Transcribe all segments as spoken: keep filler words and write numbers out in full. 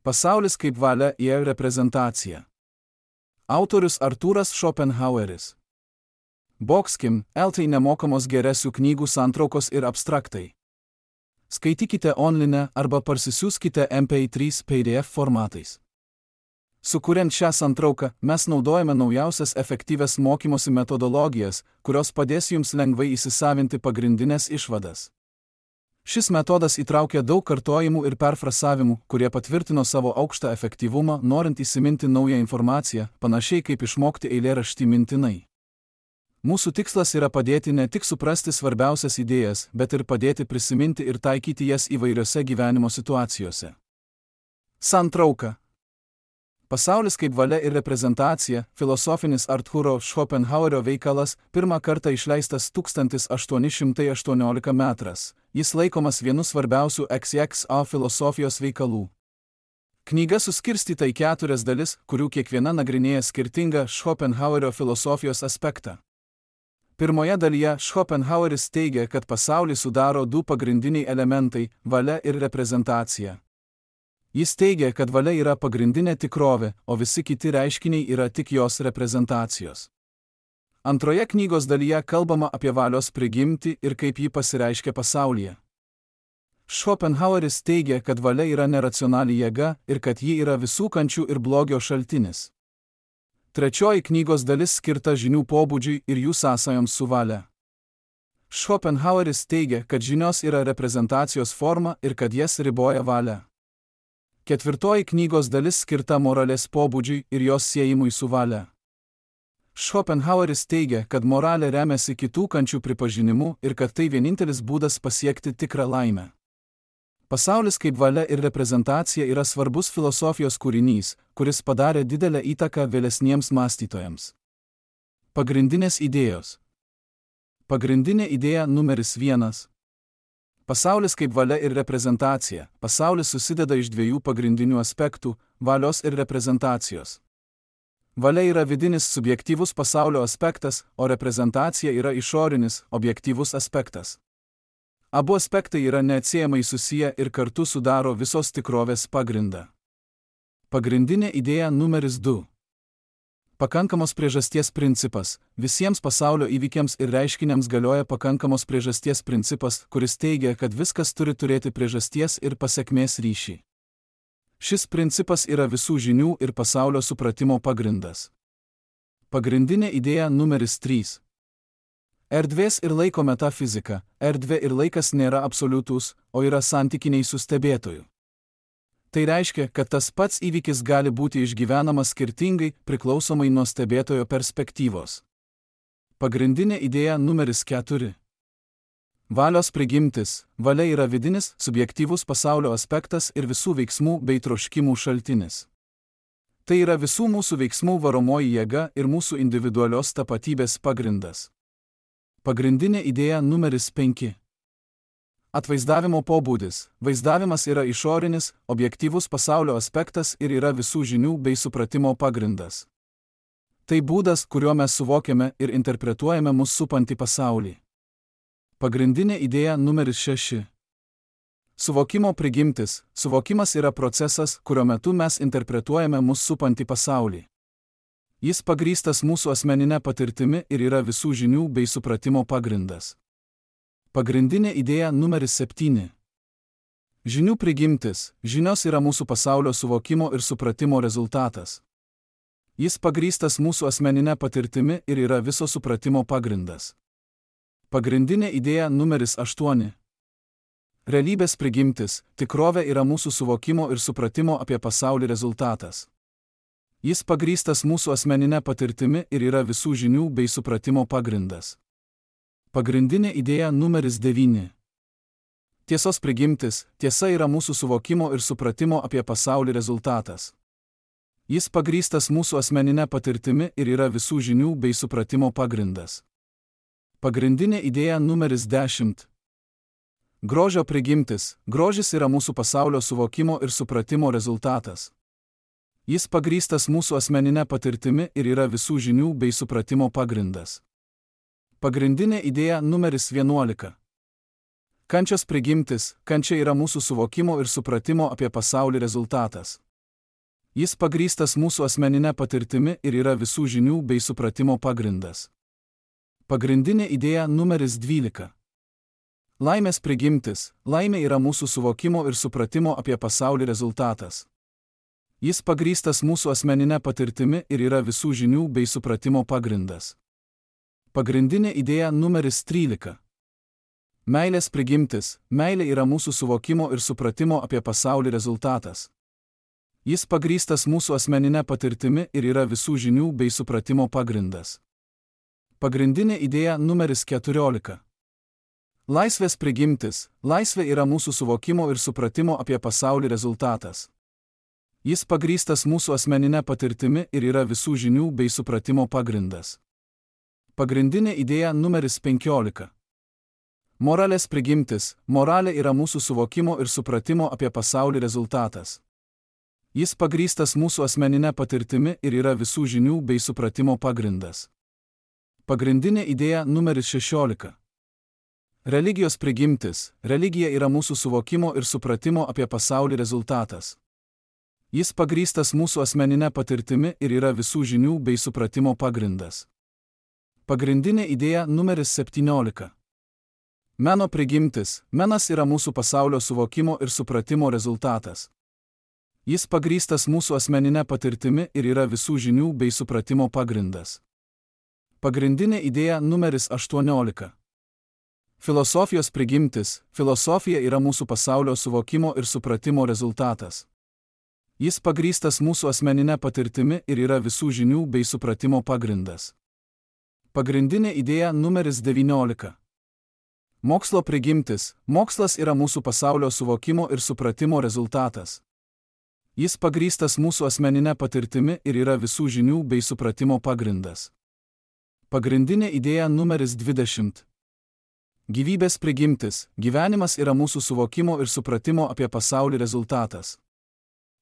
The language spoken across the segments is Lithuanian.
Pasaulis kaip valia ir reprezentacija. Autorius Artūras Šopenhaueris. Boxkim, L T nemokamos geresių knygų santraukos ir abstraktai. Skaitykite online arba parsisiųskite M P trys P D F formatais. Sukuriant šią santrauką, mes naudojame naujausias efektyvias mokymosi metodologijas, kurios padės jums lengvai įsisavinti pagrindinės išvadas. Šis metodas įtraukia daug kartojimų ir perfrasavimų, kurie patvirtino savo aukštą efektyvumą, norint įsiminti naują informaciją, panašiai kaip išmokti eilėraštį mintinai. Mūsų tikslas yra padėti ne tik suprasti svarbiausias idėjas, bet ir padėti prisiminti ir taikyti jas įvairiose gyvenimo situacijose. Santrauka. Pasaulis kaip valia ir reprezentacija, filosofinis Artūro Šopenhauerio veikalas, pirmą kartą išleistas tūkstantis aštuoni šimtai aštuonioliktaisiais metais. Jis laikomas vienu svarbiausių X X A filosofijos veikalų. Knyga suskirstyta į keturias dalis, kurių kiekviena nagrinėja skirtingą Šopenhauerio filosofijos aspektą. Pirmoje dalyje Šopenhaueris teigia, kad pasaulį sudaro du pagrindiniai elementai – valia ir reprezentacija. Jis teigia, kad valia yra pagrindinė tikrovė, o visi kiti reiškiniai yra tik jos reprezentacijos. Antroje knygos dalyje kalbama apie valios prigimtį ir kaip ji pasireiškia pasaulyje. Šopenhaueris teigia, kad valia yra neracionali jėga ir kad ji yra visų kančių ir blogio šaltinis. Trečioji knygos dalis skirta žinių pobūdžiui ir jų sąsajoms su valia. Šopenhaueris teigia, kad žinios yra reprezentacijos forma ir kad jas riboja valia. Ketvirtoji knygos dalis skirta moralės pobūdžiui ir jos siejimui su valia. Šopenhaueris teigia, kad moralė remiasi kitų kančių pripažinimu ir kad tai vienintelis būdas pasiekti tikrą laimę. Pasaulis kaip valia ir reprezentacija yra svarbus filosofijos kūrinys, kuris padarė didelę įtaką vėlesniems mąstytojams. Pagrindinės idėjos. Pagrindinė idėja numeris vienas. Pasaulis kaip valia ir reprezentacija. Pasaulis susideda iš dviejų pagrindinių aspektų – valios ir reprezentacijos. Valia yra vidinis subjektyvus pasaulio aspektas, o reprezentacija yra išorinis, objektyvus aspektas. Abu aspektai yra neatsiejamai susiję ir kartu sudaro visos tikrovės pagrindą. Pagrindinė idėja numeris du. Pakankamos priežasties principas. Visiems pasaulio įvykiams ir reiškiniams galioja pakankamos priežasties principas, kuris teigia, kad viskas turi turėti priežasties ir pasekmės ryšį. Šis principas yra visų žinių ir pasaulio supratimo pagrindas. Pagrindinė idėja numeris trys. Erdvės ir laiko metafizika. Erdvė ir laikas nėra absoliutūs, o yra santykiniai su stebėtoju. Tai reiškia, kad tas pats įvykis gali būti išgyvenamas skirtingai, priklausomai nuo stebėtojo perspektyvos. Pagrindinė idėja numeris keturi. Valios prigimtis. Valia yra vidinis, subjektyvus pasaulio aspektas ir visų veiksmų bei troškimų šaltinis. Tai yra visų mūsų veiksmų varomoji jėga ir mūsų individualios tapatybės pagrindas. Pagrindinė idėja numeris penki. Atvaizdavimo pobūdis. Vaizdavimas yra išorinis, objektyvus pasaulio aspektas ir yra visų žinių bei supratimo pagrindas. Tai būdas, kuriuo mes suvokiame ir interpretuojame mus supantį pasaulį. Pagrindinė idėja numeris šeši. Suvokimo prigimtis. Suvokimas yra procesas, kurio metu mes interpretuojame mus supantį pasaulį. Jis pagrįstas mūsų asmeninė patirtimi ir yra visų žinių bei supratimo pagrindas. Pagrindinė idėja numeris septyni. Žinių prigimtis. Žinios yra mūsų pasaulio suvokimo ir supratimo rezultatas. Jis pagrįstas mūsų asmeninė patirtimi ir yra viso supratimo pagrindas. Pagrindinė idėja numeris aštuoni. Realybės prigimtis. Tikrovė yra mūsų suvokimo ir supratimo apie pasaulį rezultatas. Jis pagrįstas mūsų asmeninė patirtimi ir yra visų žinių bei supratimo pagrindas. Pagrindinė idėja numeris devyni. Tiesos prigimtis. Tiesa yra mūsų suvokimo ir supratimo apie pasaulį rezultatas. Jis pagrįstas mūsų asmeninė patirtimi ir yra visų žinių bei supratimo pagrindas. Pagrindinė idėja numeris dešimt. Grožio prigimtis. Grožis yra mūsų pasaulio suvokimo ir supratimo rezultatas. Jis pagrįstas mūsų asmeninė patirtimi ir yra visų žinių bei supratimo pagrindas. Pagrindinė idėja numeris vienuolika. Kančios prigimtis. Kančia yra mūsų suvokimo ir supratimo apie pasaulį rezultatas. Jis pagrįstas mūsų asmeninė patirtimi ir yra visų žinių bei supratimo pagrindas. Pagrindinė idėja numeris dvylika. Laimės prigimtis. Laimė yra mūsų suvokimo ir supratimo apie pasaulį rezultatas. Jis pagrįstas mūsų asmeninė patirtimi ir yra visų žinių bei supratimo pagrindas. Pagrindinė idėja numeris trylika. Meilės prigimtis. Meilė yra mūsų suvokimo ir supratimo apie pasaulį rezultatas. Jis pagrįstas mūsų asmeninė patirtimi ir yra visų žinių bei supratimo pagrindas. Pagrindinė idėja numeris keturiolika. Laisvės prigimtis. Laisvė yra mūsų suvokimo ir supratimo apie pasaulį rezultatas. Jis pagrįstas mūsų asmeninė patirtimi ir yra visų žinių bei supratimo pagrindas. Pagrindinė idėja numeris penkiolika. Moralės prigimtis. Moralė yra mūsų suvokimo ir supratimo apie pasaulį rezultatas. Jis pagrįstas mūsų asmeninė patirtimi ir yra visų žinių bei supratimo pagrindas. Pagrindinė idėja numeris šešiolika. Religijos prigimtis. Religija yra mūsų suvokimo ir supratimo apie pasaulį rezultatas. Jis pagrįstas mūsų asmeninė patirtimi ir yra visų žinių bei supratimo pagrindas. Pagrindinė idėja numeris septyniolika. Meno prigimtis. Menas yra mūsų pasaulio suvokimo ir supratimo rezultatas. Jis pagrįstas mūsų asmeninė patirtimi ir yra visų žinių bei supratimo pagrindas. Pagrindinė idėja numeris aštuoniolika. Filosofijos prigimtis. Filosofija yra mūsų pasaulio suvokimo ir supratimo rezultatas. Jis pagrįstas mūsų asmeninė patirtimi ir yra visų žinių bei supratimo pagrindas. Pagrindinė idėja numeris devyniolika. Mokslo prigimtis. Mokslas yra mūsų pasaulio suvokimo ir supratimo rezultatas. Jis pagrįstas mūsų asmeninė patirtimi ir yra visų žinių bei supratimo pagrindas. Pagrindinė idėja numeris dvidešimt. Gyvybės prigimtis. Gyvenimas yra mūsų suvokimo ir supratimo apie pasaulį rezultatas.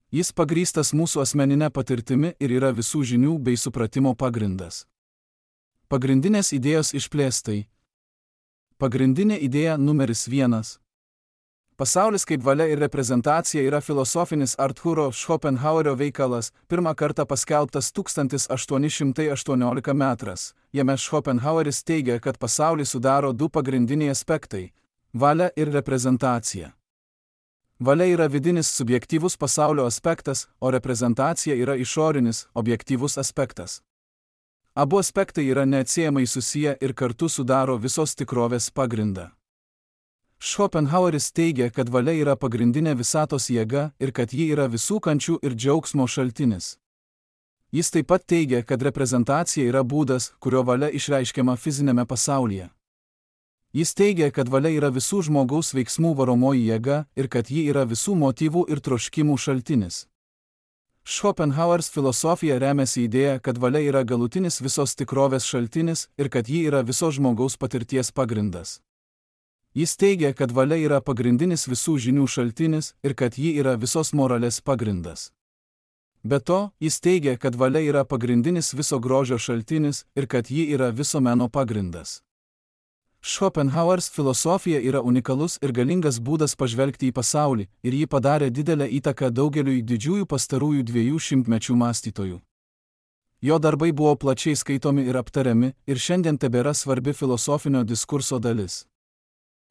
Jis pagrįstas mūsų asmeninė patirtimi ir yra visų žinių bei supratimo pagrindas. Pagrindinės idėjos išplėstai. Pagrindinė idėja numeris vienas. Pasaulis kaip valia ir reprezentacija yra filosofinis Artūro Schopenhauerio veikalas, pirmą kartą paskelbtas tūkstantis aštuoni šimtai aštuonioliktas metais. Jame Schopenhaueris teigia, kad pasaulį sudaro du pagrindiniai aspektai – valia ir reprezentacija. Valia yra vidinis subjektyvus pasaulio aspektas, o reprezentacija yra išorinis, objektyvus aspektas. Abu aspektai yra neatsiejamai susiję ir kartu sudaro visos tikrovės pagrindą. Schopenhaueris teigia, kad valia yra pagrindinė visatos jėga ir kad ji yra visų kančių ir džiaugsmo šaltinis. Jis taip pat teigia, kad reprezentacija yra būdas, kurio valia išreiškiama fizinėme pasaulyje. Jis teigia, kad valia yra visų žmogaus veiksmų varomoji jėga ir kad ji yra visų motyvų ir troškimų šaltinis. Schopenhaueris filosofija remiasi idėja, kad valia yra galutinis visos tikrovės šaltinis ir kad ji yra visos žmogaus patirties pagrindas. Jis teigia, kad valia yra pagrindinis visų žinių šaltinis ir kad ji yra visos moralės pagrindas. Be to, jis teigia, kad valia yra pagrindinis viso grožio šaltinis ir kad ji yra viso meno pagrindas. Schopenhaueris filosofija yra unikalus ir galingas būdas pažvelgti į pasaulį ir ji padarė didelę įtaką daugeliui didžiųjų pastarųjų dviejų šimtmečių mąstytojų. Jo darbai buvo plačiai skaitomi ir aptariami ir šiandien tebėra svarbi filosofinio diskurso dalis.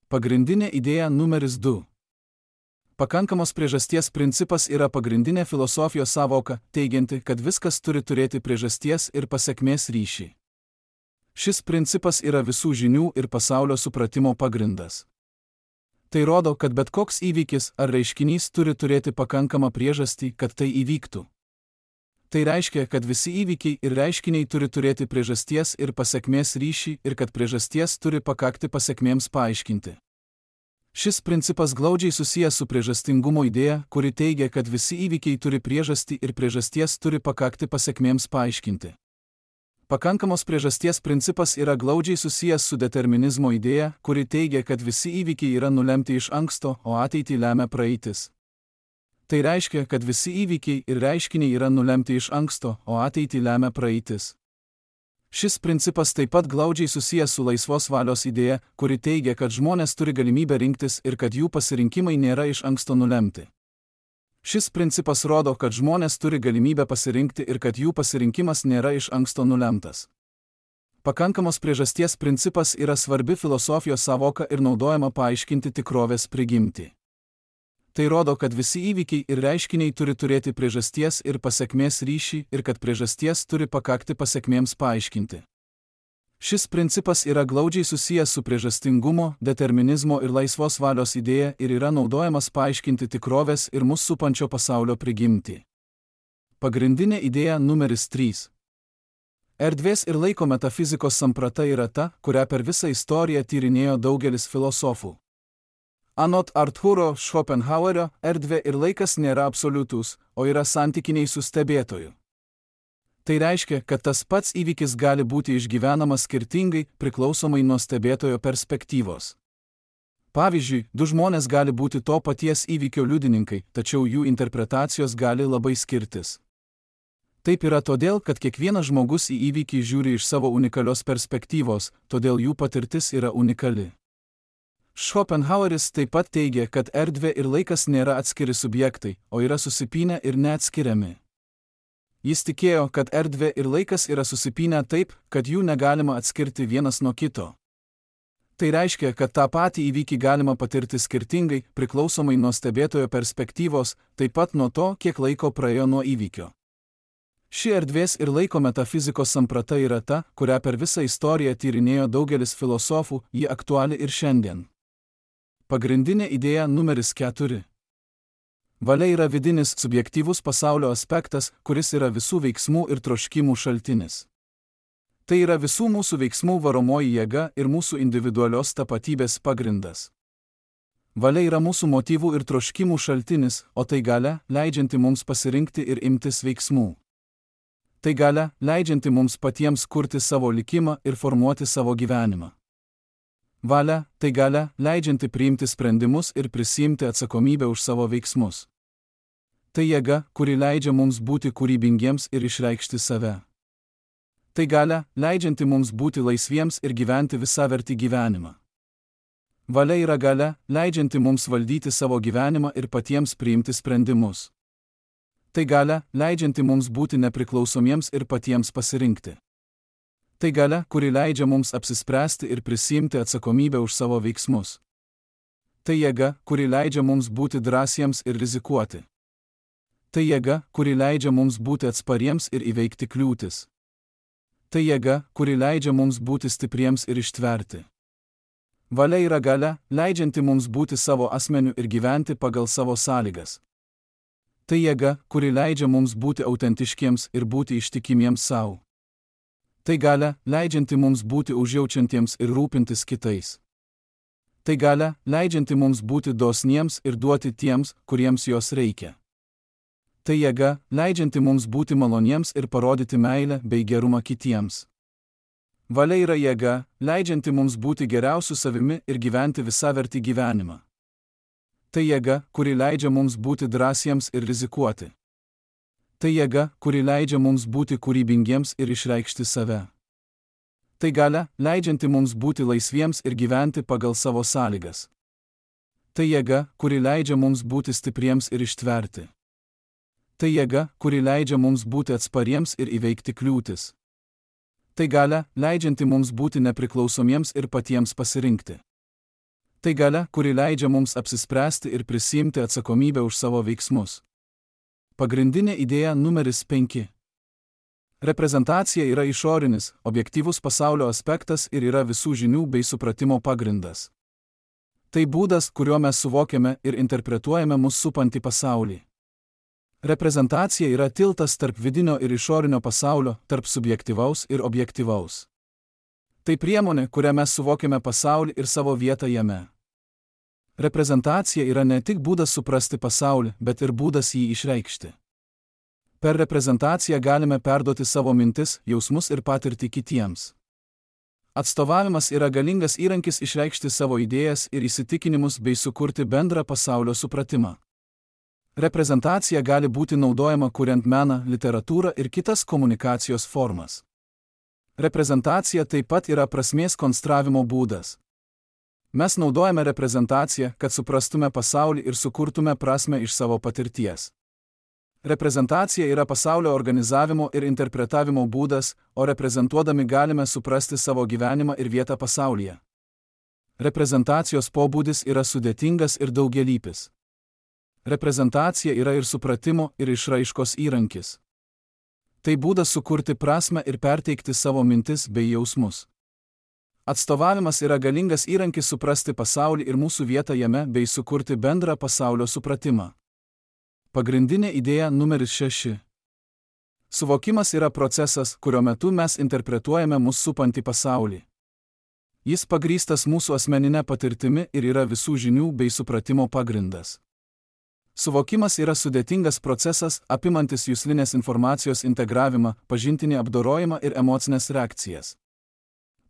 Pagrindinė idėja numeris du. Pakankamos priežasties principas yra pagrindinė filosofijos sąvoka, teigianti, kad viskas turi turėti priežasties ir pasekmės ryšį. Šis principas yra visų žinių ir pasaulio supratimo pagrindas. Tai rodo, kad bet koks įvykis ar reiškinys turi turėti pakankamą priežastį, kad tai įvyktų. Tai reiškia, kad visi įvykiai ir reiškiniai turi turėti priežasties ir pasekmės ryšį ir kad priežasties turi pakakti pasekmėms paaiškinti. Šis principas glaudžiai susijęs su priežastingumo idėja, kuri teigia, kad visi įvykiai turi priežastį ir priežasties turi pakakti pasekmėms paaiškinti. Pakankamos priežasties principas yra glaudžiai susijęs su determinizmo idėja, kuri teigia, kad visi įvykiai yra nulemti iš anksto, o ateitį lemia praeitis. Tai reiškia, kad visi įvykiai ir reiškiniai yra nulemti iš anksto, o ateitį lemia praeitis. Šis principas taip pat glaudžiai susijęs su laisvos valios idėja, kuri teigia, kad žmonės turi galimybę rinktis ir kad jų pasirinkimai nėra iš anksto nulemti. Šis principas rodo, kad žmonės turi galimybę pasirinkti ir kad jų pasirinkimas nėra iš anksto nulemtas. Pakankamos priežasties principas yra svarbi filosofijos sąvoka ir naudojama paaiškinti tikrovės prigimtį. Tai rodo, kad visi įvykiai ir reiškiniai turi turėti priežasties ir pasekmės ryšį ir kad priežasties turi pakakti pasekmėms paaiškinti. Šis principas yra glaudžiai susijęs su priežastingumo, determinizmo ir laisvos valios idėja ir yra naudojamas paaiškinti tikrovės ir mus supančio pasaulio prigimtį. Pagrindinė idėja numeris trys. Erdvės ir laiko metafizikos samprata yra ta, kurią per visą istoriją tyrinėjo daugelis filosofų. Anot Artūro Schopenhauerio, erdvė ir laikas nėra absoliutūs, o yra santykiniai su stebėtoju. Tai reiškia, kad tas pats įvykis gali būti išgyvenamas skirtingai, priklausomai nuo stebėtojo perspektyvos. Pavyzdžiui, du žmonės gali būti to paties įvykio liudininkai, tačiau jų interpretacijos gali labai skirtis. Taip yra todėl, kad kiekvienas žmogus į įvykį žiūri iš savo unikalios perspektyvos, todėl jų patirtis yra unikali. Schopenhaueris taip pat teigia, kad erdvė ir laikas nėra atskiri subjektai, o yra susipynę ir neatskiriami. Jis tikėjo, kad erdvė ir laikas yra susipynę taip, kad jų negalima atskirti vienas nuo kito. Tai reiškia, kad tą patį įvykį galima patirti skirtingai, priklausomai nuo stebėtojo perspektyvos, taip pat nuo to, kiek laiko praėjo nuo įvykio. Ši erdvės ir laiko metafizikos samprata yra ta, kurią per visą istoriją tyrinėjo daugelis filosofų, ji aktuali ir šiandien. Pagrindinė idėja numeris keturi. Valia yra vidinis, subjektyvus pasaulio aspektas, kuris yra visų veiksmų ir troškimų šaltinis. Tai yra visų mūsų veiksmų varomoji jėga ir mūsų individualios tapatybės pagrindas. Valia yra mūsų motyvų ir troškimų šaltinis, o tai galia, leidžianti mums pasirinkti ir imtis veiksmų. Tai galia, leidžianti mums patiems kurti savo likimą ir formuoti savo gyvenimą. Valia, tai galia, leidžianti priimti sprendimus ir prisiimti atsakomybę už savo veiksmus. Tai jėga, kuri leidžia mums būti kūrybingiems ir išreikšti save. Tai galia, leidžianti mums būti laisviems ir gyventi visavertį gyvenimą. Valia yra galia, leidžianti mums valdyti savo gyvenimą ir patiems priimti sprendimus. Tai galia, leidžianti mums būti nepriklausomiems ir patiems pasirinkti. Tai galia, kuri leidžia mums apsispręsti ir prisiimti atsakomybę už savo veiksmus. Tai jėga, kuri leidžia mums būti drąsiems ir rizikuoti. Tai jėga, kuri leidžia mums būti atspariems ir įveikti kliūtis. Tai jėga, kuri leidžia mums būti stipriems ir ištverti. Valia yra galia, leidžianti mums būti savo asmeniu ir gyventi pagal savo sąlygas. Tai jėga, kuri leidžia mums būti autentiškiems ir būti ištikimiems savo. Tai galia, leidžianti mums būti užjaučiantiems ir rūpintis kitais. Tai galia, leidžianti mums būti dosniems ir duoti tiems, kuriems jos reikia. Tai jėga, leidžianti mums būti maloniems ir parodyti meilę bei gerumą kitiems. Valia yra jėga, leidžianti mums būti geriausiu savimi ir gyventi visavertį gyvenimą. Tai jėga, kuri leidžia mums būti drąsiems ir rizikuoti. Tai jėga, kuri leidžia mums būti kūrybingiems ir išreikšti save. Tai galia, leidžianti mums būti laisviems ir gyventi pagal savo sąlygas. Tai jėga, kuri leidžia mums būti stipriems ir ištverti. Tai jėga, kuri leidžia mums būti atspariems ir įveikti kliūtis. Tai galia, leidžianti mums būti nepriklausomiems ir patiems pasirinkti. Tai galia, kuri leidžia mums apsispręsti ir prisiimti atsakomybę už savo veiksmus. Pagrindinė idėja numeris penki. Reprezentacija yra išorinis, objektyvus pasaulio aspektas ir yra visų žinių bei supratimo pagrindas. Tai būdas, kuriuo mes suvokiame ir interpretuojame mus supantį pasaulį. Reprezentacija yra tiltas tarp vidinio ir išorinio pasaulio, tarp subjektyvaus ir objektyvaus. Tai priemonė, kuria mes suvokiame pasaulį ir savo vietą jame. Reprezentacija yra ne tik būdas suprasti pasaulį, bet ir būdas jį išreikšti. Per reprezentaciją galime perduoti savo mintis, jausmus ir patirtį kitiems. Atstovavimas yra galingas įrankis išreikšti savo idėjas ir įsitikinimus bei sukurti bendrą pasaulio supratimą. Reprezentacija gali būti naudojama kuriant meną, literatūrą ir kitas komunikacijos formas. Reprezentacija taip pat yra prasmės konstravimo būdas. Mes naudojame reprezentaciją, kad suprastume pasaulį ir sukurtume prasmę iš savo patirties. Reprezentacija yra pasaulio organizavimo ir interpretavimo būdas, o reprezentuodami galime suprasti savo gyvenimą ir vietą pasaulyje. Reprezentacijos pobūdis yra sudėtingas ir daugialypis. Reprezentacija yra ir supratimo, ir išraiškos įrankis. Tai būdas sukurti prasmę ir perteikti savo mintis bei jausmus. Atstovavimas yra galingas įrankis suprasti pasaulį ir mūsų vietą jame bei sukurti bendrą pasaulio supratimą. Pagrindinė idėja numeris šeši. Suvokimas yra procesas, kurio metu mes interpretuojame mus supantį pasaulį. Jis pagrįstas mūsų asmeninė patirtimi ir yra visų žinių bei supratimo pagrindas. Suvokimas yra sudėtingas procesas, apimantis juslinės informacijos integravimą, pažintinį apdorojimą ir emocinės reakcijas.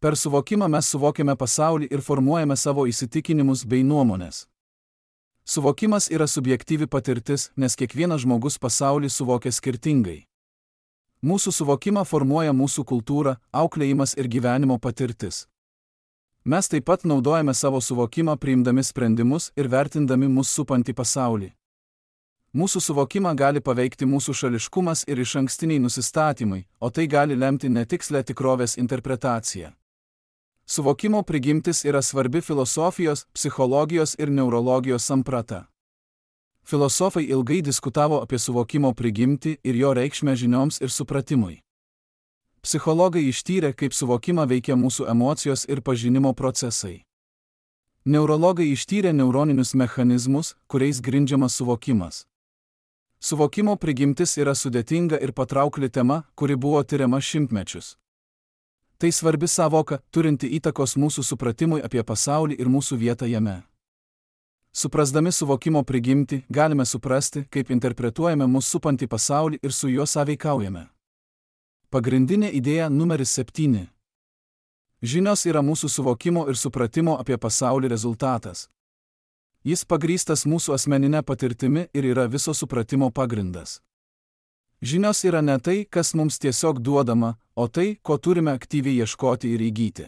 Per suvokimą mes suvokiame pasaulį ir formuojame savo įsitikinimus bei nuomonės. Suvokimas yra subjektyvi patirtis, nes kiekvienas žmogus pasaulį suvokia skirtingai. Mūsų suvokimą formuoja mūsų kultūra, auklėjimas ir gyvenimo patirtis. Mes taip pat naudojame savo suvokimą priimdami sprendimus ir vertindami mus supantį pasaulį. Mūsų suvokimą gali paveikti mūsų šališkumas ir išankstiniai nusistatymai, o tai gali lemti netikslę tikrovės interpretaciją. Suvokimo prigimtis yra svarbi filosofijos, psichologijos ir neurologijos samprata. Filosofai ilgai diskutavo apie suvokimo prigimtį ir jo reikšmę žinioms ir supratimui. Psichologai ištyrė, kaip suvokimą veikia mūsų emocijos ir pažinimo procesai. Neurologai ištyrė neuroninius mechanizmus, kuriais grindžiamas suvokimas. Suvokimo prigimtis yra sudėtinga ir patraukli tema, kuri buvo tiriama šimtmečius. Tai svarbi sąvoka, turinti įtakos mūsų supratimui apie pasaulį ir mūsų vietą jame. Suprasdami suvokimo prigimtį, galime suprasti, kaip interpretuojame mūsų supantį pasaulį ir su juo sąveikaujame. Pagrindinė idėja numeris septyni. Žinios yra mūsų suvokimo ir supratimo apie pasaulį rezultatas. Jis pagrįstas mūsų asmeninė patirtimi ir yra viso supratimo pagrindas. Žinios yra ne tai, kas mums tiesiog duodama, o tai, ko turime aktyviai ieškoti ir įgyti.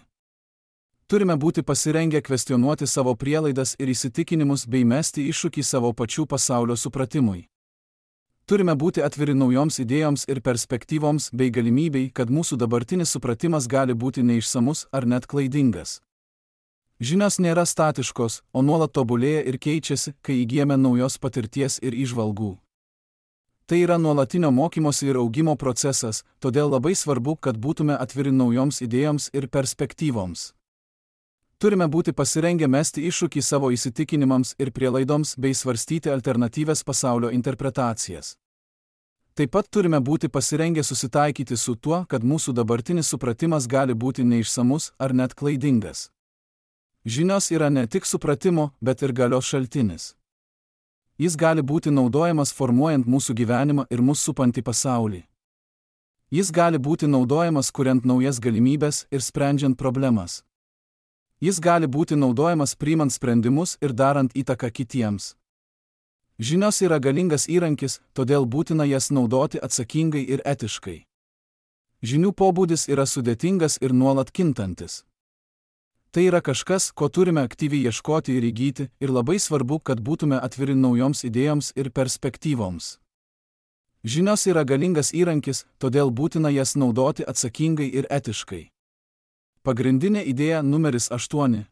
Turime būti pasirengę kvestionuoti savo prielaidas ir įsitikinimus bei mesti iššūkį savo pačių pasaulio supratimui. Turime būti atviri naujoms idėjoms ir perspektyvoms bei galimybei, kad mūsų dabartinis supratimas gali būti neišsamus ar net klaidingas. Žinios nėra statiškos, o nuolat tobulėja ir keičiasi, kai įgyjame naujos patirties ir įžvalgų. Tai yra nuolatinio mokymosi ir augimo procesas, todėl labai svarbu, kad būtume atviri naujoms idėjoms ir perspektyvoms. Turime būti pasirengę mesti iššūkį savo įsitikinimams ir prielaidoms bei svarstyti alternatyvias pasaulio interpretacijas. Taip pat turime būti pasirengę susitaikyti su tuo, kad mūsų dabartinis supratimas gali būti neišsamus ar net klaidingas. Žinios yra ne tik supratimo, bet ir galios šaltinis. Jis gali būti naudojamas formuojant mūsų gyvenimą ir mūsų supantį pasaulį. Jis gali būti naudojamas kuriant naujas galimybes ir sprendžiant problemas. Jis gali būti naudojamas priimant sprendimus ir darant įtaką kitiems. Žinios yra galingas įrankis, todėl būtina jas naudoti atsakingai ir etiškai. Žinių pobūdis yra sudėtingas ir nuolat kintantis. Tai yra kažkas, ko turime aktyviai ieškoti ir įgyti, ir labai svarbu, kad būtume atviri naujoms idėjoms ir perspektyvoms. Žinios yra galingas įrankis, todėl būtina jas naudoti atsakingai ir etiškai. Pagrindinė idėja numeris aštuoni.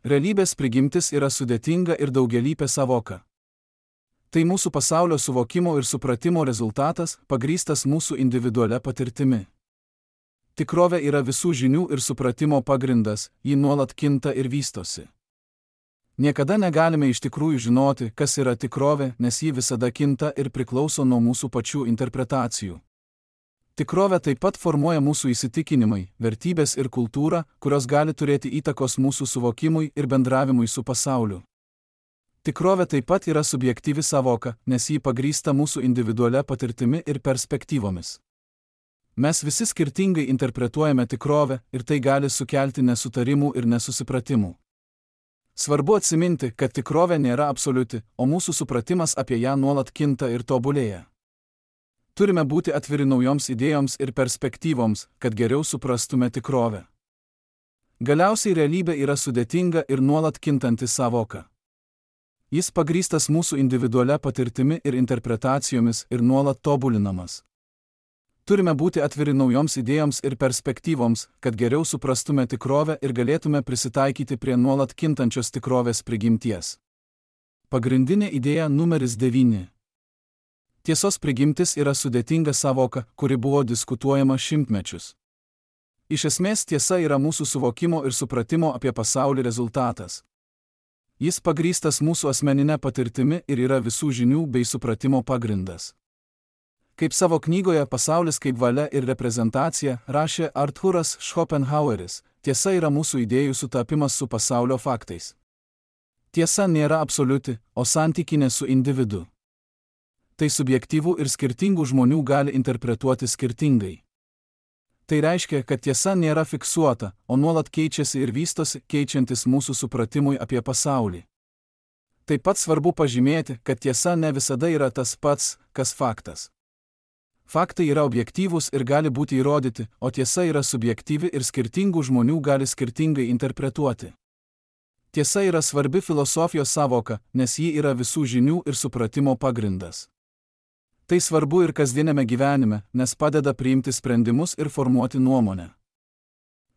Realybės prigimtis yra sudėtinga ir daugialypė sąvoka. Tai mūsų pasaulio suvokimo ir supratimo rezultatas, pagrįstas mūsų individualia patirtimi. Tikrovė yra visų žinių ir supratimo pagrindas, ji nuolat kinta ir vystosi. Niekada negalime iš tikrųjų žinoti, kas yra tikrovė, nes ji visada kinta ir priklauso nuo mūsų pačių interpretacijų. Tikrovė taip pat formuoja mūsų įsitikinimai, vertybės ir kultūra, kurios gali turėti įtakos mūsų suvokimui ir bendravimui su pasauliu. Tikrovė taip pat yra subjektyvi sąvoka, nes ji pagrįsta mūsų individualia patirtimi ir perspektyvomis. Mes visi skirtingai interpretuojame tikrovę ir tai gali sukelti nesutarimų ir nesusipratimų. Svarbu atsiminti, kad tikrovė nėra absoliuti, o mūsų supratimas apie ją nuolat kinta ir tobulėja. Turime būti atviri naujoms idėjoms ir perspektyvoms, kad geriau suprastume tikrovę. Galiausiai realybė yra sudėtinga ir nuolat kintanti sąvoka. Jis pagrįstas mūsų individualia patirtimi ir interpretacijomis ir nuolat tobulinamas. Turime būti atviri naujoms idėjoms ir perspektyvoms, kad geriau suprastume tikrovę ir galėtume prisitaikyti prie nuolat kintančios tikrovės prigimties. Pagrindinė idėja numeris devyni. Tiesos prigimtis yra sudėtinga sąvoka, kuri buvo diskutuojama šimtmečius. Iš esmės tiesa yra mūsų suvokimo ir supratimo apie pasaulį rezultatas. Jis pagrįstas mūsų asmeninė patirtimi ir yra visų žinių bei supratimo pagrindas. Kaip savo knygoje Pasaulis kaip valia ir reprezentacija rašė Arthuras Schopenhaueris, tiesa yra mūsų idėjų sutapimas su pasaulio faktais. Tiesa nėra absoliuti, o santykinė su individu. Tai subjektyvų ir skirtingų žmonių gali interpretuoti skirtingai. Tai reiškia, kad tiesa nėra fiksuota, o nuolat keičiasi ir vystosi, keičiantis mūsų supratimui apie pasaulį. Taip pat svarbu pažymėti, kad tiesa ne visada yra tas pats, kas faktas. Faktai yra objektyvūs ir gali būti įrodyti, o tiesa yra subjektyvi ir skirtingų žmonių gali skirtingai interpretuoti. Tiesa yra svarbi filosofijos sąvoka, nes ji yra visų žinių ir supratimo pagrindas. Tai svarbu ir kasdienėme gyvenime, nes padeda priimti sprendimus ir formuoti nuomonę.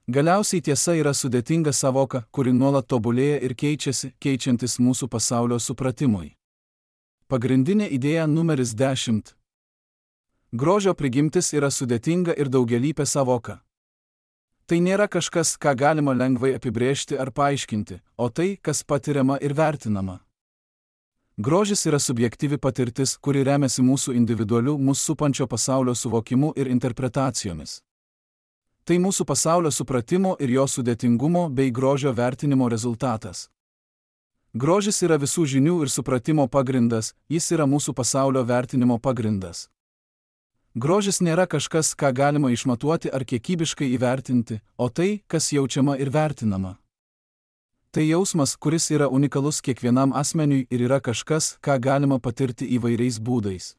Galiausiai tiesa yra sudėtinga sąvoka, kuri nuolat tobulėja ir keičiasi, keičiantis mūsų pasaulio supratimui. Pagrindinė idėja numeris dešimt. Grožio prigimtis yra sudėtinga ir daugialypė sąvoka. Tai nėra kažkas, ką galima lengvai apibrėžti ar paaiškinti, o tai, kas patiriama ir vertinama. Grožis yra subjektyvi patirtis, kuri remiasi mūsų individualiu, mūsų supančio pasaulio suvokimu ir interpretacijomis. Tai mūsų pasaulio supratimo ir jo sudėtingumo bei grožio vertinimo rezultatas. Grožis yra visų žinių ir supratimo pagrindas, jis yra mūsų pasaulio vertinimo pagrindas. Grožis nėra kažkas, ką galima išmatuoti ar kiekybiškai įvertinti, o tai, kas jaučiama ir vertinama. Tai jausmas, kuris yra unikalus kiekvienam asmeniui ir yra kažkas, ką galima patirti įvairiais būdais.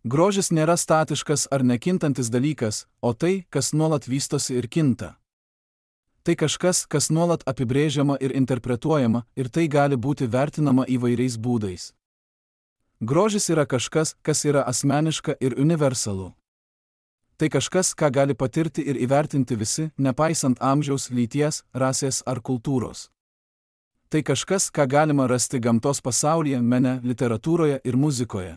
Grožis nėra statiškas ar nekintantis dalykas, o tai, kas nuolat vystosi ir kinta. Tai kažkas, kas nuolat apibrėžiama ir interpretuojama, ir tai gali būti vertinama įvairiais būdais. Grožis yra kažkas, kas yra asmeniška ir universalu. Tai kažkas, ką gali patirti ir įvertinti visi, nepaisant amžiaus, lyties, rasės ar kultūros. Tai kažkas, ką galima rasti gamtos pasaulyje, mene, literatūroje ir muzikoje.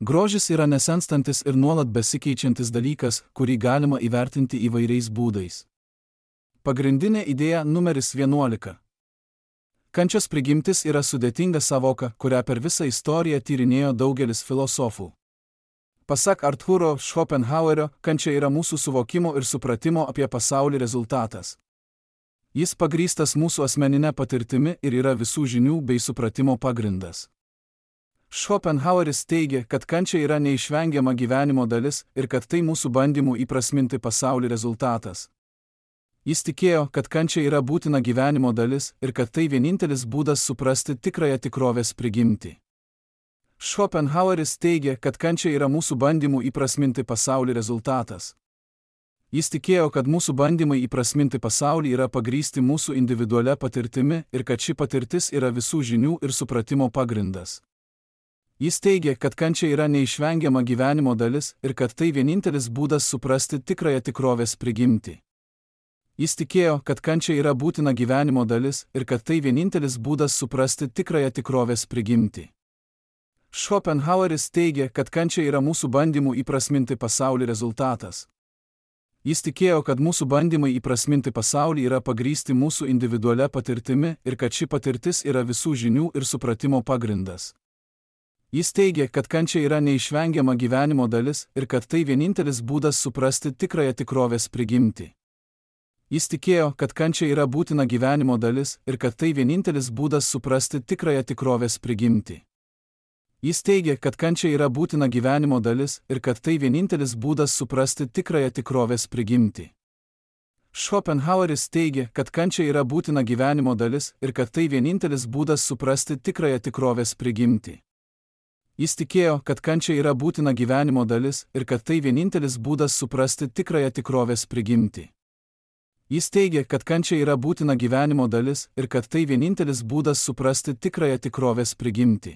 Grožis yra nesenstantis ir nuolat besikeičiantis dalykas, kurį galima įvertinti įvairiais būdais. Pagrindinė idėja numeris vienuolika. Kančios prigimtis yra sudėtinga sąvoka, kurią per visą istoriją tyrinėjo daugelis filosofų. Pasak Arthuro Schopenhauerio, kančia yra mūsų suvokimo ir supratimo apie pasaulį rezultatas. Jis pagrįstas mūsų asmeninė patirtimi ir yra visų žinių bei supratimo pagrindas. Schopenhaueris teigia, kad kančia yra neišvengiama gyvenimo dalis ir kad tai mūsų bandymų įprasminti pasaulį rezultatas. Jis tikėjo, kad kančia yra būtina gyvenimo dalis ir kad tai vienintelis būdas suprasti tikrąją tikrovės prigimtį. Schopenhaueris teigia, kad kančia yra mūsų bandymų įprasminti pasaulį rezultatas. Jis tikėjo, kad mūsų bandymai įprasminti pasaulį yra pagrįsti mūsų individualia patirtimi ir kad ši patirtis yra visų žinių ir supratimo pagrindas. Jis teigia, kad kančia yra neišvengiama gyvenimo dalis ir kad tai vienintelis būdas suprasti tikrąją tikrovės prigimtį. Jis tikėjo, kad kančia yra būtina gyvenimo dalis ir kad tai vienintelis būdas suprasti tikrąją tikrovės prigimtį. Schopenhaueris teigia, kad kančia yra mūsų bandymų įprasminti pasaulį rezultatas. Jis tikėjo, kad mūsų bandymai įprasminti pasaulį yra pagrįsti mūsų individualia patirtimi ir kad ši patirtis yra visų žinių ir supratimo pagrindas. Jis teigia, kad kančia yra neišvengiama gyvenimo dalis ir kad tai vienintelis būdas suprasti tikrąją tikrovės prigimtį. Jis tikėjo, kad kančia yra būtina gyvenimo dalis ir kad tai vienintelis būdas suprasti tikrąją tikrovės prigimtį. Jis teigia, kad kančia yra būtina gyvenimo dalis ir kad tai vienintelis būdas suprasti tikrąją tikrovės prigimtį. Schopenhaueris teigia, kad kančia yra būtina gyvenimo dalis ir kad tai vienintelis būdas suprasti tikrąją tikrovės prigimtį. Jis tikėjo, kad kančia yra būtina gyvenimo dalis ir kad tai vienintelis būdas suprasti tikrąją tikrovės prigimtį. Jis teigia, kad kančia yra būtina gyvenimo dalis ir kad tai vienintelis būdas suprasti tikrąją tikrovės prigimtį.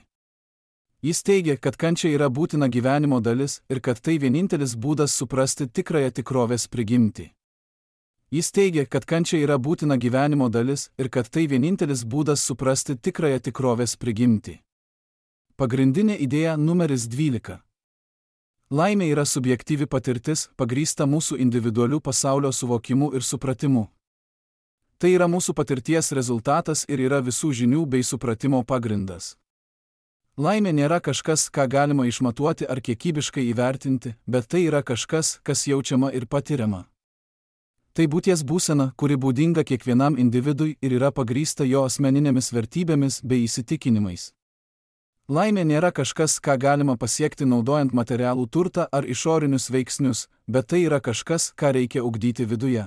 Jis teigia, kad kančia yra būtina gyvenimo dalis ir kad tai vienintelis būdas suprasti tikrąją tikrovės prigimtį. Jis teigia, kad kančia yra būtina gyvenimo dalis ir kad tai vienintelis būdas suprasti tikrąją tikrovės prigimtį. Pagrindinė idėja numeris dvylika. Laimė yra subjektyvi patirtis, pagrįsta mūsų individualių pasaulio suvokimu ir supratimu. Tai yra mūsų patirties rezultatas ir yra visų žinių bei supratimo pagrindas. Laimė nėra kažkas, ką galima išmatuoti ar kiekybiškai įvertinti, bet tai yra kažkas, kas jaučiama ir patiriama. Tai būties būsena, kuri būdinga kiekvienam individui ir yra pagrįsta jo asmeninėmis vertybėmis bei įsitikinimais. Laimė nėra kažkas, ką galima pasiekti naudojant materialų turtą ar išorinius veiksnius, bet tai yra kažkas, ką reikia ugdyti viduje.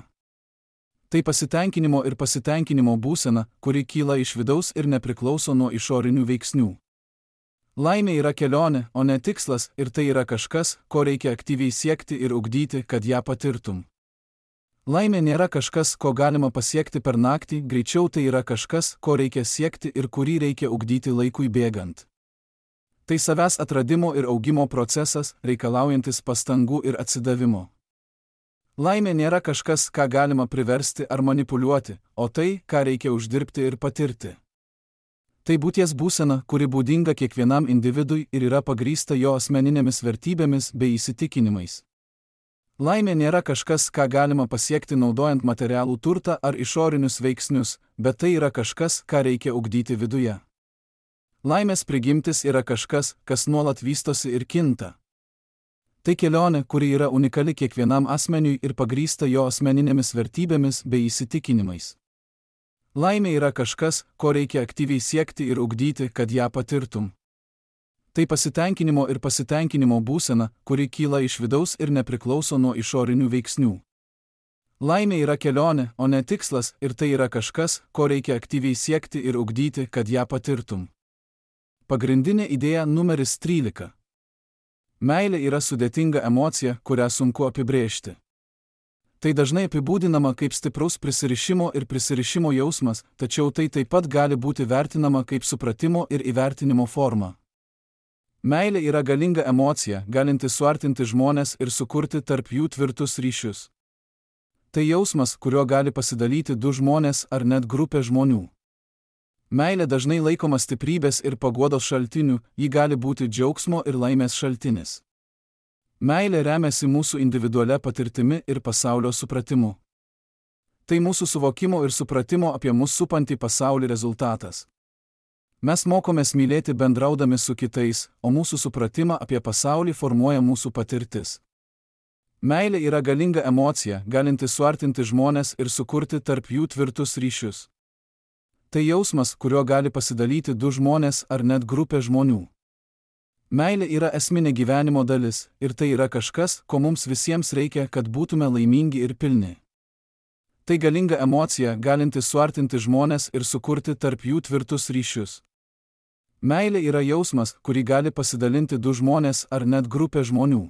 Tai pasitenkinimo ir pasitenkinimo būsena, kuri kyla iš vidaus ir nepriklauso nuo išorinių veiksnių. Laimė yra kelionė, o ne tikslas, ir tai yra kažkas, ko reikia aktyviai siekti ir ugdyti, kad ją patirtum. Laimė nėra kažkas, ko galima pasiekti per naktį, greičiau tai yra kažkas, ko reikia siekti ir kurį reikia ugdyti laikui bėgant. Tai savęs atradimo ir augimo procesas, reikalaujantis pastangų ir atsidavimo. Laimė nėra kažkas, ką galima priversti ar manipuliuoti, o tai, ką reikia uždirbti ir patirti. Tai būties būsena, kuri būdinga kiekvienam individui ir yra pagrįsta jo asmeninėmis vertybėmis bei įsitikinimais. Laimė nėra kažkas, ką galima pasiekti naudojant materialų turtą ar išorinius veiksnius, bet tai yra kažkas, ką reikia ugdyti viduje. Laimės prigimtis yra kažkas, kas nuolat vystosi ir kinta. Tai kelionė, kuri yra unikali kiekvienam asmeniui ir pagrįsta jo asmeninėmis vertybėmis bei įsitikinimais. Laimė yra kažkas, ko reikia aktyviai siekti ir ugdyti, kad ją patirtum. Tai pasitenkinimo ir pasitenkinimo būsena, kuri kyla iš vidaus ir nepriklauso nuo išorinių veiksnių. Laimė yra kelionė, o ne tikslas, ir tai yra kažkas, ko reikia aktyviai siekti ir ugdyti, kad ją patirtum. Pagrindinė idėja numeris trylika. Meilė yra sudėtinga emocija, kurią sunku apibrėžti. Tai dažnai apibūdinama kaip stipraus prisirišimo ir prisirišimo jausmas, tačiau tai taip pat gali būti vertinama kaip supratimo ir įvertinimo forma. Meilė yra galinga emocija, galinti suartinti žmones ir sukurti tarp jų tvirtus ryšius. Tai jausmas, kuriuo gali pasidalyti du žmonės ar net grupė žmonių. Meilė dažnai laikoma stiprybės ir paguodos šaltiniu, ji gali būti džiaugsmo ir laimės šaltinis. Meilė remiasi mūsų individualia patirtimi ir pasaulio supratimu. Tai mūsų suvokimo ir supratimo apie mus supantį pasaulį rezultatas. Mes mokomės mylėti bendraudami su kitais, o mūsų supratimą apie pasaulį formuoja mūsų patirtis. Meilė yra galinga emocija, galinti suartinti žmones ir sukurti tarp jų tvirtus ryšius. Tai jausmas, kuriuo gali pasidalyti du žmonės ar net grupė žmonių. Meilė yra esminė gyvenimo dalis, ir tai yra kažkas, ko mums visiems reikia, kad būtume laimingi ir pilni. Tai galinga emocija, galinti suartinti žmones ir sukurti tarp jų tvirtus ryšius. Meilė yra jausmas, kurį gali pasidalinti du žmonės ar net grupė žmonių.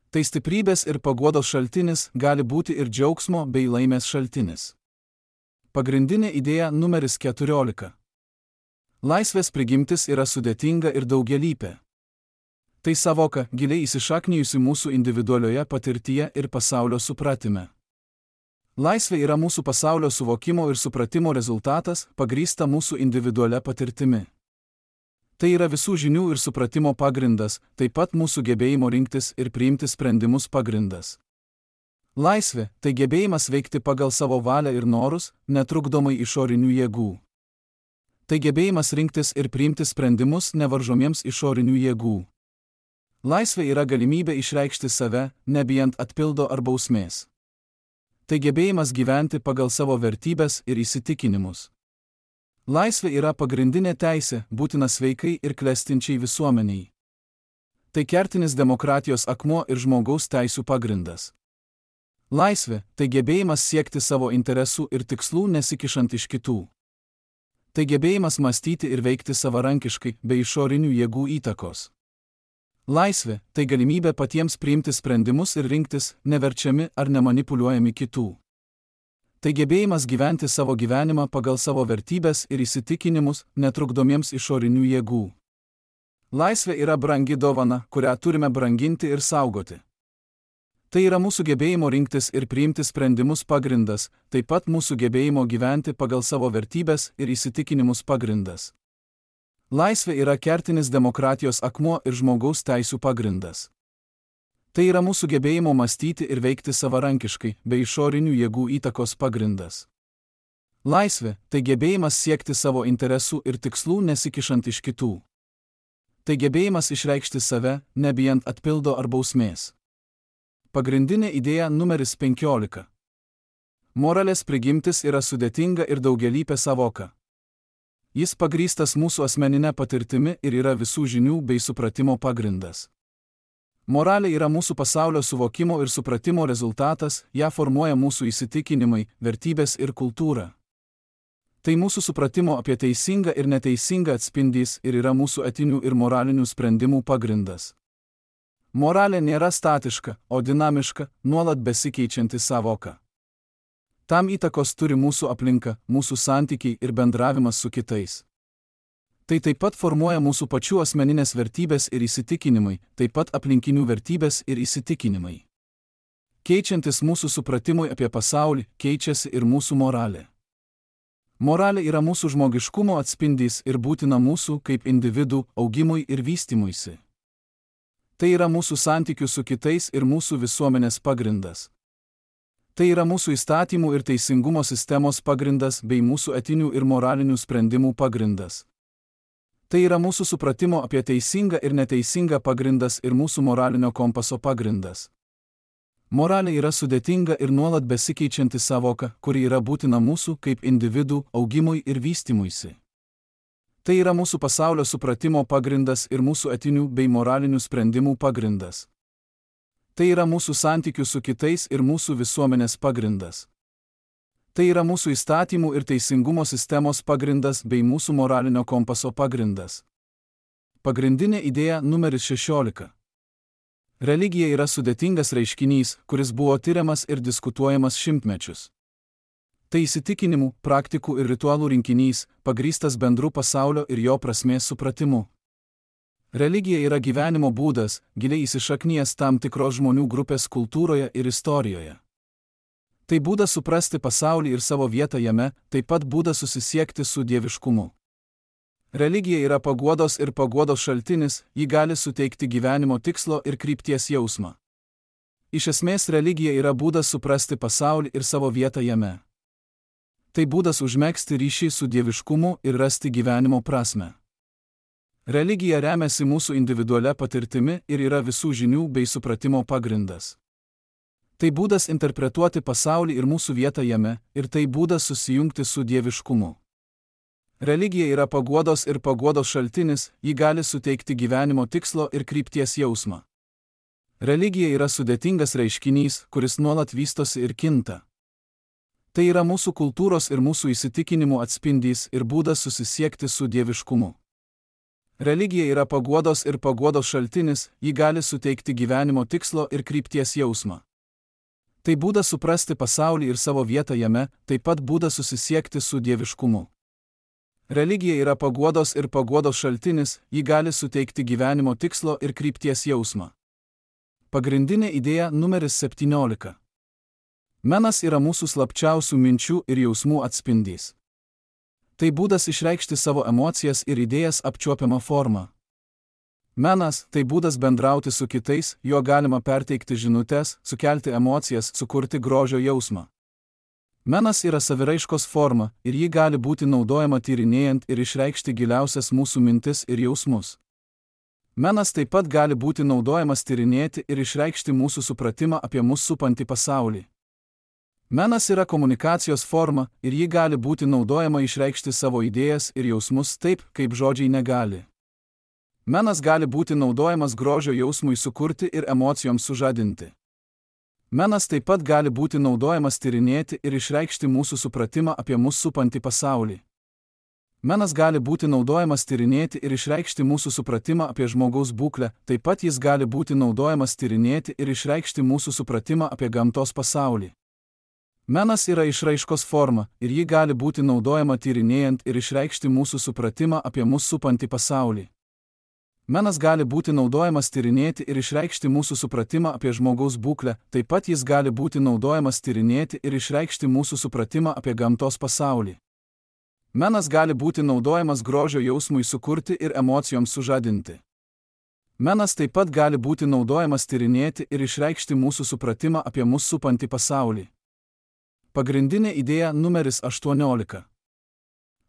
Tai stiprybės ir paguodos šaltinis, gali būti ir džiaugsmo bei laimės šaltinis. Pagrindinė idėja numeris keturiolika. Laisvės prigimtis yra sudėtinga ir daugialypė. Tai savoka, giliai įsišaknijusi mūsų individualioje patirtyje ir pasaulio supratime. Laisvė yra mūsų pasaulio suvokimo ir supratimo rezultatas, pagrįsta mūsų individualia patirtimi. Tai yra visų žinių ir supratimo pagrindas, taip pat mūsų gebėjimo rinktis ir priimti sprendimus pagrindas. Laisvė – tai gebėjimas veikti pagal savo valią ir norus, netrukdomai išorinių jėgų. Tai gebėjimas rinktis ir priimti sprendimus nevaržomiems išorinių jėgų. Laisvė yra galimybė išreikšti save, nebijant atpildo ar bausmės. Tai gebėjimas gyventi pagal savo vertybes ir įsitikinimus. Laisvė yra pagrindinė teisė, būtina sveikai ir klestinčiai visuomeniai. Tai kertinis demokratijos akmuo ir žmogaus teisių pagrindas. Laisvė – tai gebėjimas siekti savo interesų ir tikslų nesikišant iš kitų. Tai gebėjimas mąstyti ir veikti savarankiškai, be išorinių jėgų įtakos. Laisvė – tai galimybė patiems priimti sprendimus ir rinktis, neverčiami ar nemanipuliuojami kitų. Tai gebėjimas gyventi savo gyvenimą pagal savo vertybės ir įsitikinimus, netrukdomiems išorinių jėgų. Laisvė yra brangi dovana, kurią turime branginti ir saugoti. Tai yra mūsų gebėjimo rinktis ir priimti sprendimus pagrindas, taip pat mūsų gebėjimo gyventi pagal savo vertybės ir įsitikinimus pagrindas. Laisvė yra kertinis demokratijos akmuo ir žmogaus teisių pagrindas. Tai yra mūsų gebėjimo mąstyti ir veikti savarankiškai, be išorinių jėgų įtakos pagrindas. Laisvė – tai gebėjimas siekti savo interesų ir tikslų nesikišant iš kitų. Tai gebėjimas išreikšti save, nebijant atpildo ar bausmės. Pagrindinė idėja numeris penkiolika. Moralės prigimtis yra sudėtinga ir daugialypė savoka. Jis pagrįstas mūsų asmeninė patirtimi ir yra visų žinių bei supratimo pagrindas. Moralė yra mūsų pasaulio suvokimo ir supratimo rezultatas, ją formuoja mūsų įsitikinimai, vertybės ir kultūra. Tai mūsų supratimo apie teisingą ir neteisingą atspindys ir yra mūsų etinių ir moralinių sprendimų pagrindas. Moralė nėra statiška, o dinamiška, nuolat besikeičianti savoka. Tam įtakos turi mūsų aplinka, mūsų santykiai ir bendravimas su kitais. Tai taip pat formuoja mūsų pačių asmeninės vertybės ir įsitikinimai, taip pat aplinkinių vertybės ir įsitikinimai. Keičiantis mūsų supratimui apie pasaulį, keičiasi ir mūsų moralė. Moralė yra mūsų žmogiškumo atspindys ir būtina mūsų kaip individų augimui ir vystymuisi. Tai yra mūsų santykių su kitais ir mūsų visuomenės pagrindas. Tai yra mūsų įstatymų ir teisingumo sistemos pagrindas bei mūsų etinių ir moralinių sprendimų pagrindas. Tai yra mūsų supratimo apie teisingą ir neteisingą pagrindas ir mūsų moralinio kompaso pagrindas. Moralė yra sudėtinga ir nuolat besikeičianti savoka, kuri yra būtina mūsų kaip individų augimui ir vystymuisi. Tai yra mūsų pasaulio supratimo pagrindas ir mūsų etinių bei moralinių sprendimų pagrindas. Tai yra mūsų santykių su kitais ir mūsų visuomenės pagrindas. Tai yra mūsų įstatymų ir teisingumo sistemos pagrindas bei mūsų moralinio kompaso pagrindas. Pagrindinė idėja numeris šešiolika. Religija yra sudėtingas reiškinys, kuris buvo tiriamas ir diskutuojamas šimtmečius. Tai įsitikinimų, praktikų ir ritualų rinkinys, pagrįstas bendru pasaulio ir jo prasmės supratimu. Religija yra gyvenimo būdas, giliai įsišaknijęs tam tikros žmonių grupės kultūroje ir istorijoje. Tai būdas suprasti pasaulį ir savo vietą jame, taip pat būdas susisiekti su dieviškumu. Religija yra paguodos ir paguodos šaltinis, ji gali suteikti gyvenimo tikslo ir krypties jausmą. Iš esmės religija yra būdas suprasti pasaulį ir savo vietą jame. Tai būdas užmegzti ryšį su dieviškumu ir rasti gyvenimo prasmę. Religija remiasi mūsų individualia patirtimi ir yra visų žinių bei supratimo pagrindas. Tai būdas interpretuoti pasaulį ir mūsų vietą jame, ir tai būdas susijungti su dieviškumu. Religija yra paguodos ir paguodos šaltinis, ji gali suteikti gyvenimo tikslo ir krypties jausmą. Religija yra sudėtingas reiškinys, kuris nuolat vystosi ir kinta. Tai yra mūsų kultūros ir mūsų įsitikinimų atspindys ir būdas susisiekti su dieviškumu. Religija yra paguodos ir paguodos šaltinis, ji gali suteikti gyvenimo tikslo ir krypties jausmą. Tai būdas suprasti pasaulį ir savo vietą jame, taip pat būdas susisiekti su dieviškumu. Religija yra paguodos ir paguodos šaltinis, ji gali suteikti gyvenimo tikslo ir krypties jausmą. Pagrindinė idėja numeris septyniolika. Menas yra mūsų slapčiausių minčių ir jausmų atspindys. Tai būdas išreikšti savo emocijas ir idėjas apčiuopiamą formą. Menas – tai būdas bendrauti su kitais, juo galima perteikti žinutes, sukelti emocijas, sukurti grožio jausmą. Menas yra saviraiškos forma ir ji gali būti naudojama tyrinėjant ir išreikšti giliausias mūsų mintis ir jausmus. Menas taip pat gali būti naudojamas tyrinėti ir išreikšti mūsų supratimą apie mus supantį pasaulį. Menas yra komunikacijos forma ir ji gali būti naudojama išreikšti savo idėjas ir jausmus taip, kaip žodžiai negali. Menas gali būti naudojamas grožio jausmui sukurti ir emocijoms sužadinti. Menas taip pat gali būti naudojamas tyrinėti ir išreikšti mūsų supratimą apie mus supantį pasaulį. Menas gali būti naudojamas tyrinėti ir išreikšti mūsų supratimą apie žmogaus būklę, taip pat jis gali būti naudojamas tyrinėti ir išreikšti mūsų supratimą apie gamtos pasaulį. Menas yra išraiškos forma ir ji gali būti naudojama tyrinėjant ir išreikšti mūsų supratimą apie mus supantį pasaulį. Menas gali būti naudojamas tyrinėti ir išreikšti mūsų supratimą apie žmogaus būklę, taip pat jis gali būti naudojamas tyrinėti ir išreikšti mūsų supratimą apie gamtos pasaulį. Menas gali būti naudojamas grožio jausmui sukurti ir emocijoms sužadinti. Menas taip pat gali būti naudojamas tyrinėti ir išreikšti mūsų supratimą apie mus supantį pasaulį. Pagrindinė idėja numeris aštuoniolika.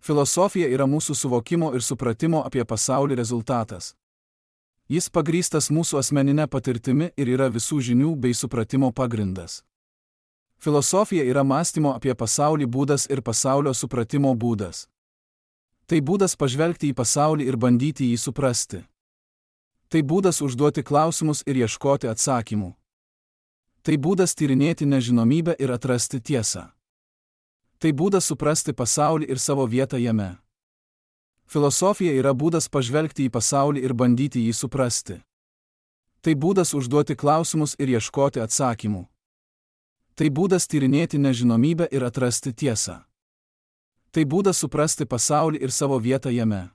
Filosofija yra mūsų suvokimo ir supratimo apie pasaulį rezultatas. Jis pagrįstas mūsų asmeninė patirtimi ir yra visų žinių bei supratimo pagrindas. Filosofija yra mąstymo apie pasaulį būdas ir pasaulio supratimo būdas. Tai būdas pažvelgti į pasaulį ir bandyti jį suprasti. Tai būdas užduoti klausimus ir ieškoti atsakymų. Tai būdas tyrinėti nežinomybę ir atrasti tiesą. Tai būdas suprasti pasaulį ir savo vietą jame. Filosofija yra būdas pažvelgti į pasaulį ir bandyti jį suprasti. Tai būdas užduoti klausimus ir ieškoti atsakymų. Tai būdas tyrinėti nežinomybę ir atrasti tiesą. Tai būdas suprasti pasaulį ir savo vietą jame.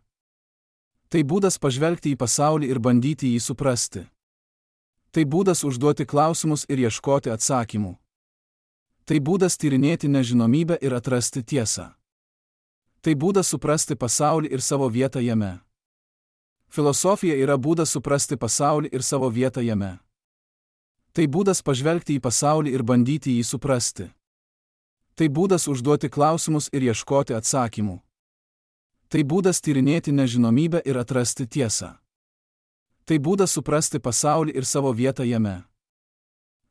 Tai būdas pažvelgti į pasaulį ir bandyti jį suprasti. Tai būdas užduoti klausimus ir ieškoti atsakymų. Tai būdas tyrinėti nežinomybę ir atrasti tiesą. Tai būdas suprasti pasaulį ir savo vietą jame. Filosofija yra būdas suprasti pasaulį ir savo vietą jame. Tai būdas pažvelgti į pasaulį ir bandyti jį suprasti. Tai būdas užduoti klausimus ir ieškoti atsakymų. Tai būdas tyrinėti nežinomybę ir atrasti tiesą. Tai būdas suprasti pasaulį ir savo vietą jame.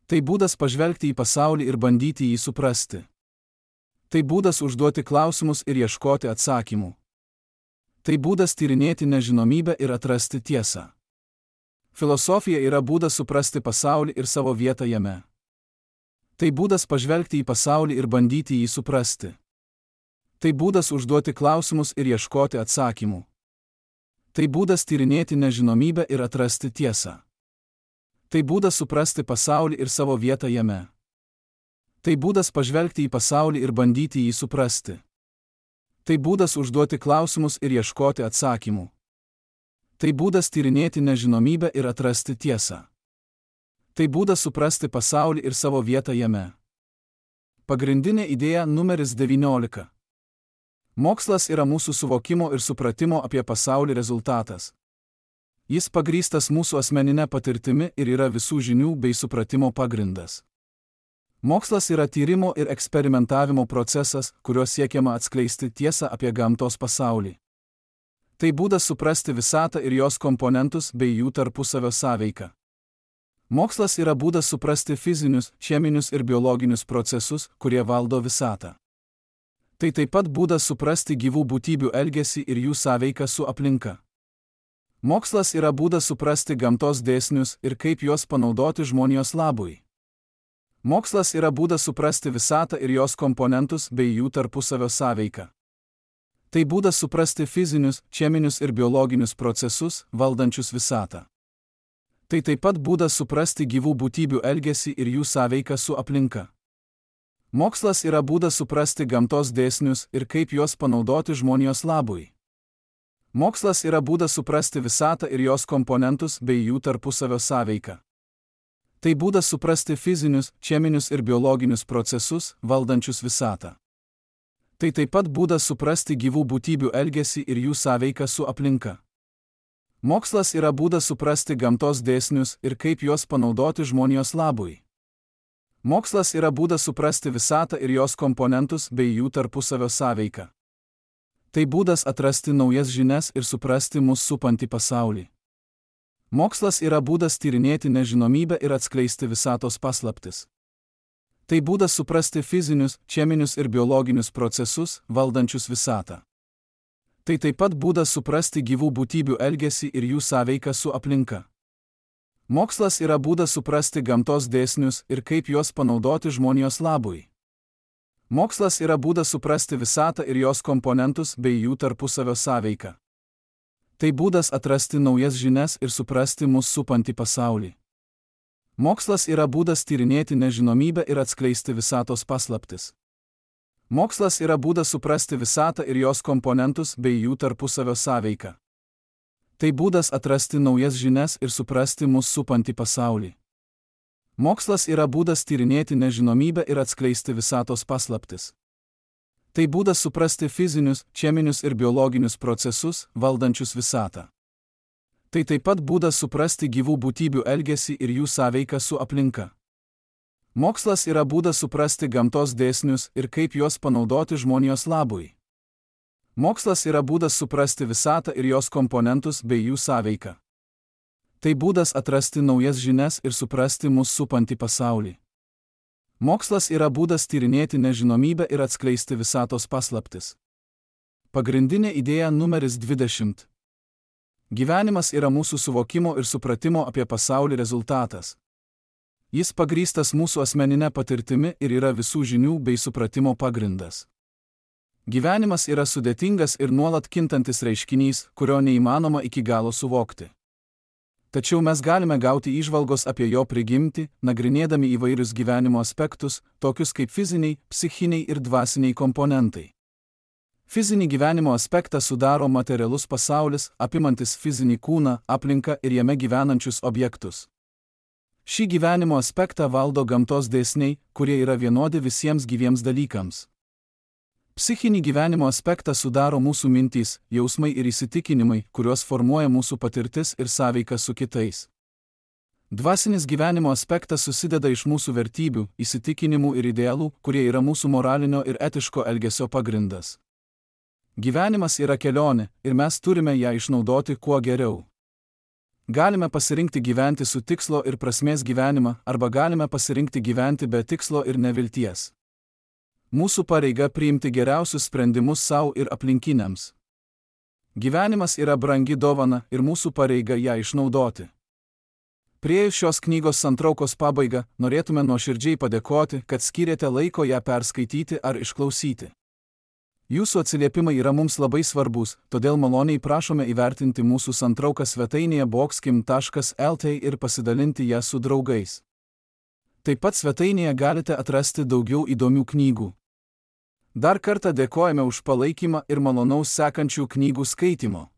Tai būdas pažvelgti į pasaulį ir bandyti jį suprasti. Tai būdas užduoti klausimus ir ieškoti atsakymų. Tai būdas tyrinėti nežinomybę ir atrasti tiesą. Filosofija yra būdas suprasti pasaulį ir savo vietą jame. Tai būdas pažvelgti į pasaulį ir bandyti jį suprasti. Tai būdas užduoti klausimus ir ieškoti atsakymų. Tai būdas tyrinėti nežinomybę ir atrasti tiesą. Tai būdas suprasti pasaulį ir savo vietą jame. Tai būdas pažvelgti į pasaulį ir bandyti jį suprasti. Tai būdas užduoti klausimus ir ieškoti atsakymų. Tai būdas tyrinėti nežinomybę ir atrasti tiesą. Tai būdas suprasti pasaulį ir savo vietą jame. Pagrindinė idėja numeris devyniolika. Mokslas yra mūsų suvokimo ir supratimo apie pasaulį rezultatas. Jis pagrįstas mūsų asmeninė patirtimi ir yra visų žinių bei supratimo pagrindas. Mokslas yra tyrimo ir eksperimentavimo procesas, kuriuo siekiama atskleisti tiesą apie gamtos pasaulį. Tai būdas suprasti visatą ir jos komponentus bei jų tarpusavio sąveiką. Mokslas yra būdas suprasti fizinius, cheminius ir biologinius procesus, kurie valdo visatą. Tai taip pat būdas suprasti gyvų būtybių elgesį ir jų sąveiką su aplinka. Mokslas yra būdas suprasti gamtos dėsnius ir kaip juos panaudoti žmonijos labui. Mokslas yra būdas suprasti visatą ir jos komponentus bei jų tarpusavio sąveiką. Tai būdas suprasti fizinius, cheminius ir biologinius procesus, valdančius visatą. Tai taip pat būdas suprasti gyvų būtybių elgesį ir jų sąveiką su aplinka. Mokslas yra būdas suprasti gamtos dėsnius ir kaip juos panaudoti žmonijos labui. Mokslas yra būdas suprasti visatą ir jos komponentus bei jų tarpusavio sąveiką. Tai būdas suprasti fizinius, cheminius ir biologinius procesus, valdančius visatą. Tai taip pat būdas suprasti gyvų būtybių elgesį ir jų sąveiką su aplinka. Mokslas yra būdas suprasti gamtos dėsnius ir kaip juos panaudoti žmonijos labui. Mokslas yra būdas suprasti visatą ir jos komponentus bei jų tarpusavio sąveiką. Tai būdas atrasti naujas žinias ir suprasti mus supantį pasaulį. Mokslas yra būdas tyrinėti nežinomybę ir atskleisti visatos paslaptis. Tai būdas suprasti fizinius, cheminius ir biologinius procesus, valdančius visatą. Tai taip pat būdas suprasti gyvų būtybių elgesį ir jų sąveiką su aplinka. Mokslas yra būdas suprasti gamtos dėsnius ir kaip juos panaudoti žmonijos labui. Mokslas yra būdas suprasti visatą ir jos komponentus bei jų tarpusavio sąveiką. Tai būdas atrasti naujas žinias ir suprasti mus supantį pasaulį. Mokslas yra būdas tyrinėti nežinomybę ir atskleisti visatos paslaptis. Mokslas yra būdas suprasti visatą ir jos komponentus bei jų tarpusavio sąveiką. Tai būdas atrasti naujas žinias ir suprasti mus supantį pasaulį. Mokslas yra būdas tyrinėti nežinomybę ir atskleisti visatos paslaptis. Tai būdas suprasti fizinius, cheminius ir biologinius procesus, valdančius visatą. Tai taip pat būdas suprasti gyvų būtybių elgesį ir jų sąveiką su aplinka. Mokslas yra būdas suprasti gamtos dėsnius ir kaip juos panaudoti žmonijos labui. Mokslas yra būdas suprasti visatą ir jos komponentus bei jų sąveiką. Tai būdas atrasti naujas žinias ir suprasti mus supantį pasaulį. Mokslas yra būdas tyrinėti nežinomybę ir atskleisti visatos paslaptis. Pagrindinė idėja numeris dvidešimt. Gyvenimas yra mūsų suvokimo ir supratimo apie pasaulį rezultatas. Jis pagrįstas mūsų asmeninė patirtimi ir yra visų žinių bei supratimo pagrindas. Gyvenimas yra sudėtingas ir nuolat kintantis reiškinys, kurio neįmanoma iki galo suvokti. Tačiau mes galime gauti įžvalgos apie jo prigimtį, nagrinėdami įvairius gyvenimo aspektus, tokius kaip fiziniai, psichiniai ir dvasiniai komponentai. Fizinį gyvenimo aspektą sudaro materialus pasaulis, apimantis fizinį kūną, aplinką ir jame gyvenančius objektus. Šį gyvenimo aspektą valdo gamtos dėsniai, kurie yra vienodi visiems gyviems dalykams. Psichinį gyvenimo aspektą sudaro mūsų mintys, jausmai ir įsitikinimai, kuriuos formuoja mūsų patirtis ir sąveika su kitais. Dvasinis gyvenimo aspektas susideda iš mūsų vertybių, įsitikinimų ir idealų, kurie yra mūsų moralinio ir etiško elgesio pagrindas. Gyvenimas yra kelionė ir mes turime ją išnaudoti kuo geriau. Galime pasirinkti gyventi su tikslo ir prasmės gyvenimą, arba galime pasirinkti gyventi be tikslo ir nevilties. Mūsų pareiga priimti geriausius sprendimus savo ir aplinkiniams. Gyvenimas yra brangi dovana ir mūsų pareiga ją išnaudoti. Priėjus šios knygos santraukos pabaigą, norėtume nuoširdžiai padėkoti, kad skyrėte laiko ją perskaityti ar išklausyti. Jūsų atsiliepimai yra mums labai svarbus, todėl maloniai prašome įvertinti mūsų santrauką svetainėje boxkim taškas el tė ir pasidalinti ją su draugais. Taip pat svetainėje galite atrasti daugiau įdomių knygų. Dar kartą dėkojame už palaikymą ir malonaus sekančių knygų skaitimo.